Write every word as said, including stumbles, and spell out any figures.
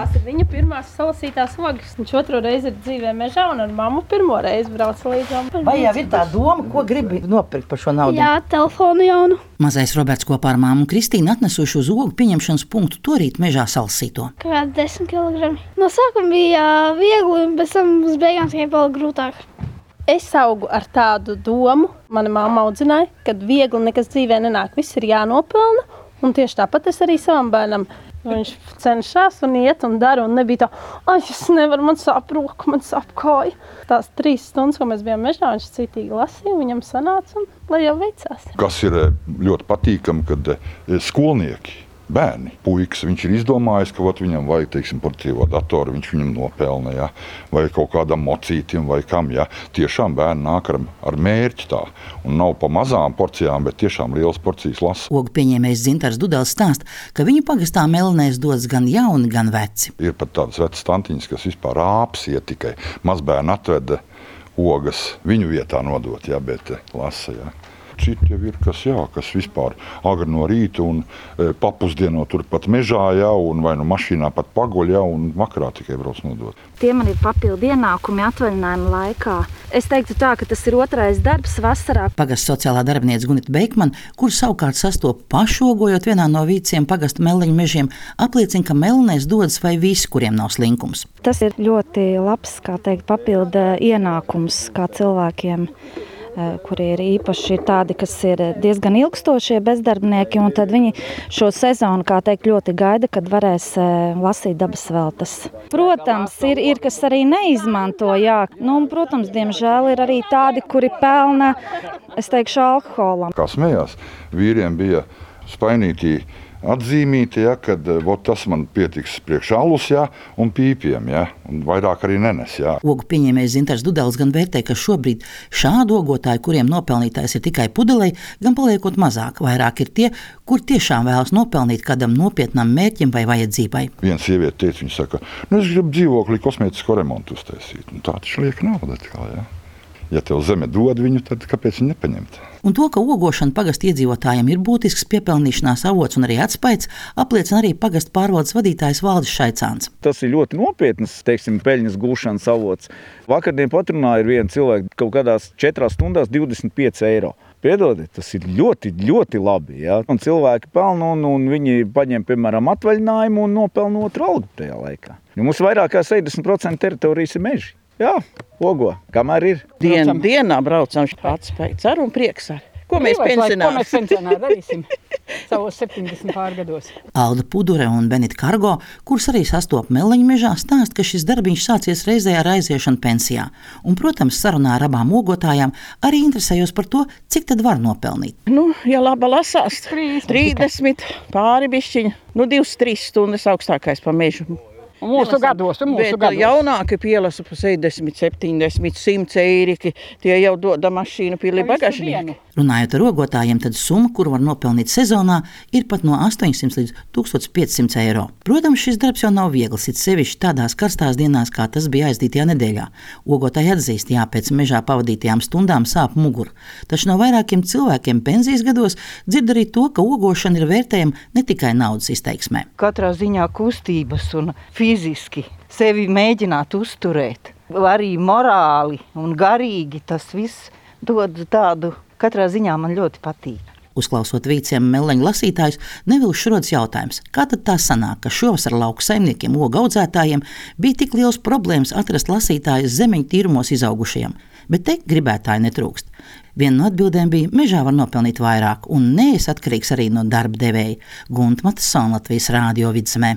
Tās ir viņa pirmās salasītās ogas. Viņš otro reizi ir dzīvē mežā un ar mammu pirmo reizi brauca līdzām. Vai jau ir tā doma, ko gribi nopirkt par šo naudu? Jā, telefonu jaunu. Mazais Roberts kopā ar māmu Kristīnu atnesuši uz ogu pieņemšanas punktu torīt mežā salasīto. Kādi desmit kilogrami. No sākuma bija viegli, un pēc tam uz beigām tikai vēl grūtāk. Es augu ar tādu domu, mana mamma audzināja, ka viegli nekas dzīvē nenāk, viss ir jānopelna, un tieši tāpat es arī savam bērnam. Viņš cenšas un iet un dara, un nebija tā, ai, es nevaru, man sāp roka, man sāp kāja. Tās trīs stundas, ko mēs bijām mežā, viņš citīgi lasīja, viņam sanāca, un lai jau veicās. Kas ir ļoti patīkami, kad skolnieki, bērni, puikas, viņš ir izdomājis, ka ot, viņam vajag, teiksim, portīvo datoru, viņš viņam nopelna, ja? Vai kaut kādam mocītim, vai kam, ja? Tiešām bērni nāk ar, ar mērķi tā, un nav pa mazām porcijām, bet tiešām lielas porcijas lasa. Ogu pieņēmējs Dzintars Dudels stāsta, ka viņu pagastā Melnēs dodas gan jauni, gan veci. Ir pat tādas vecas tantiņas, kas vispār āps iet tikai. Mazbērni atveda ogas viņu vietā nodot, ja, bet lasa, ja. Citi jau ir, kas, jā, kas vispār agri no rīta un e, papusdieno turpat mežā, jā, un vai nu mašīnā pat paguļ, jā, un vakarā tikai brauc nodot. Tie man ir papildu ienākumi atvaļinājuma laikā. Es teiktu tā, ka tas ir otrais darbs vasarā. Pagasta sociālā darbinieca Gunita Beikmana, kur savukārt sastopa pašogojot vienā no vīciem pagasta Melleņu mežiem, apliecina, ka Melnēs dodas vai visi, kuriem nav slinkums. Tas ir ļoti labs, kā teikt, papildu ienākums kā cilvēkiem, kuri ir īpaši tādi, kas ir diezgan ilgstošie bezdarbnieki, un tad viņi šo sezonu, kā teikt, ļoti gaida, kad varēs lasīt dabas veltes. Protams, ir, ir kas arī neizmanto, jā. Nu, un, protams, diemžēl ir arī tādi, kuri pelna, es teikšu, alkoholam. Kā smējās, vīriem bija spainītī atzīmīti, ja, kad ot, tas man pietiks priekš alus, ja, un pīpiem, ja, un vairāk arī nenes. Ja. Ogu pieņēmējs Dzintars Dudels gan vērtē, ka šobrīd šādu ogotāju, kuriem nopelnītājs ir tikai pudelei, gan paliekot mazāk. Vairāk ir tie, kur tiešām vēlas nopelnīt kādam nopietnam mērķim vai vajadzībai. Viena sieviete teica, viņa saka, nu es gribu dzīvokli kosmētisko remontu uztaisīt. Un tā taču liek nauda. Kā, ja. Ja tev zeme dod viņu, tad kāpēc viņu nepaņemt? Un to, ka ogošana pagasta iedzīvotājiem ir būtisks piepelnīšanās avots un arī atspaids, apliecina arī pagasta pārvaldes vadītājs Valdis Šaicāns. Tas ir ļoti nopietnas, teiksim, peļņas gūšanas avots. Vakardien patrunāja viena cilvēka kaut kādās četrās stundās divdesmit pieci eiro. Piedodiet, tas ir ļoti, ļoti labi. Ja? Un cilvēki pelna un, un viņi paņem, piemēram, atvaļinājumu un nopelna otru algu tajā laikā. Jo mums vairāk kā sešdesmit procenti teritorijas ir meži. Jā, ogo, kamēr ir. Dien, dienā braucam atspējas ar un prieks ar. Ko mēs pensionāri? Ko mēs pensionāri darīsim savos septiņdesmit pārgados? Alda Pudure un Benita Kargo, kurus arī sastopa Melleņu mežā, stāsta, ka šis darbiņš sācies reizē ar aiziešanu pensijā. Un, protams, sarunā ar abām ogotājām arī interesējos par to, cik tad var nopelnīt. Nu, ja laba lasās, trīsdesmit pāri bišķiņa, nu divas, trīs stundas augstākais pa mežu. Mūsu gados, mūsu bet gados. Jaunāki pielasa pa sešdesmit, septiņdesmit, simt eiriki, tie jau doda mašīnu pili bagažnieku. Runājot ar ogotājiem, tad summa, kuru var nopelnīt sezonā, ir pat no astoņsimt līdz tūkstoš piecsimt eiro. Protams, šis darbs jau nav viegls, it sevišķi tādās karstās dienās, kā tas bija aizdītajā nedēļā. Ogotāji atzīst, jā, pēc mežā pavadītajām stundām sāp mugura. Taču no vairākiem cilvēkiem pensijas gados dzird arī to, ka ogošana ir vērtējama ne tikai naudas izteiksmē. Katrā ziņā kustības un fiziski sevi mēģināt uzturēt, arī morāli un garīgi tas viss dod tādu. Katrā ziņā man ļoti patīk. Uzklausot vīciem Melleņu lasītājus, nevilši rodas jautājums, kā tad tā sanāk, ka šovasar lauku saimniekiem, ogu audzētājiem bija tik liels problēmas atrast lasītājus zemeņu tīrumos izaugušajiem, bet te gribētāji netrūkst. Viena no atbildēm bija, mežā var nopelnīt vairāk, un nees atkarīgs arī no darba devēja. Gunta Matasona, Latvijas Rādio Vidzemē.